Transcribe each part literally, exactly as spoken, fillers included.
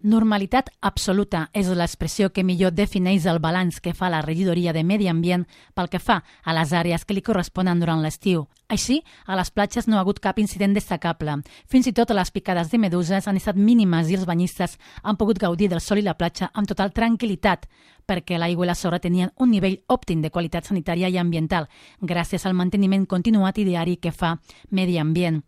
Normalitat absoluta és l'expressió que millor defineix el balanç que fa la regidoria de Medi Ambient pel que fa a les àrees que li corresponen durant l'estiu. Així, a les platges no ha hagut cap incident destacable. Fins i tot les picades de meduses han estat mínimes i els banyistes han pogut gaudir del sol i la platja amb total tranquil·litat, perquè l'aigua i la sorra tenien un nivell òptim de qualitat sanitària i ambiental, gràcies al manteniment continuat i diari que fa Medi Ambient.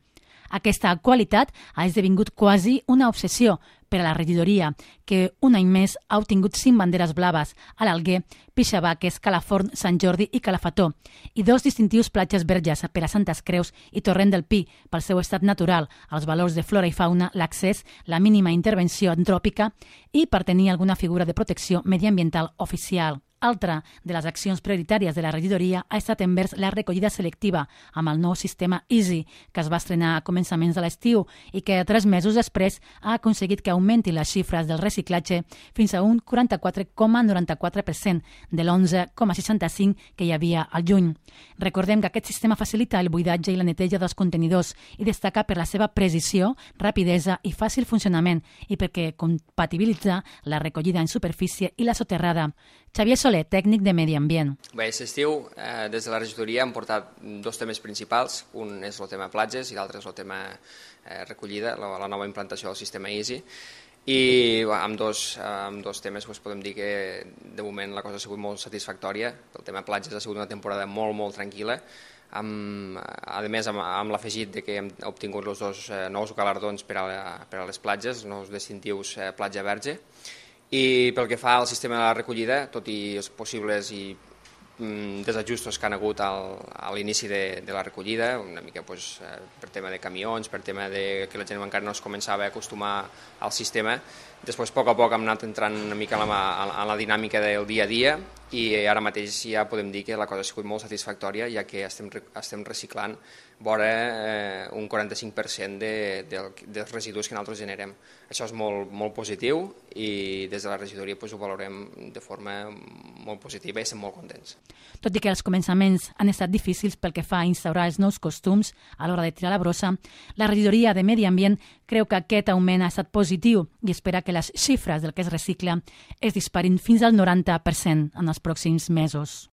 Aquesta qualitat ha esdevingut quasi una obsessió per a la regidoria, que un any més ha obtingut cinc banderes blaves a l'Alguer, Pixabaques, Calaforn, Sant Jordi i Calafató, i dos distintius platges verges per a Santes Creus i Torrent del Pi pel seu estat natural, els valors de flora i fauna, l'accés, la mínima intervenció antròpica i per tenir alguna figura de protecció mediambiental oficial. Altra de les accions prioritàries de la regidoria ha estat envers la recollida selectiva amb el nou sistema Easy, que es va estrenar a començaments de l'estiu i que tres mesos després ha aconseguit que augmenti les xifres del reciclatge fins a un quaranta-quatre coma noranta-quatre per cent de l'onze coma seixanta-cinc que hi havia al juny. Recordem que aquest sistema facilita el buidatge i la neteja dels contenidors i destaca per la seva precisió, rapidesa i fàcil funcionament i perquè compatibilitza la recollida en superfície i la soterrada. Xavier Soler, tècnic de Medi Ambient. Bé, aquest estiu, eh, des de la regidoria hem portat dos temes principals. Un és el tema platges i l'altre és el tema eh, recollida, la, la nova implantació del sistema Easy. I bé, amb, dos, amb dos temes doncs, podem dir que de moment la cosa ha sigut molt satisfactòria. El tema platges ha sigut una temporada molt, molt tranquil·la. Amb, a més, amb, amb l'afegit de que hem obtingut els dos eh, nous galardons per a, per a les platges, nous distintius eh, Platja Verge. I pel que fa al sistema de la recollida, tot i els possibles i mm, desajustos que han hagut al, a l'inici de, de la recollida, una mica pues, eh, per tema de camions, per tema de que la gent encara no es començava a acostumar al sistema, després a poc a poc hem anat entrant una mica en la, en la dinàmica del dia a dia i ara mateix ja podem dir que la cosa ha sigut molt satisfactòria, ja que estem, estem reciclant vora eh, un quaranta-cinc per cent de, de, dels residus que nosaltres generem. Això és molt, molt positiu i des de la regidoria pues, ho valorem de forma molt positiva i estem molt contents. Tot i que els començaments han estat difícils pel que fa a instaurar els nous costums a l'hora de tirar la brossa, la regidoria de Medi Ambient creu que aquest augment ha estat positiu i espera que les xifres del que es recicla es disparin fins al noranta per cent en els pròxims mesos.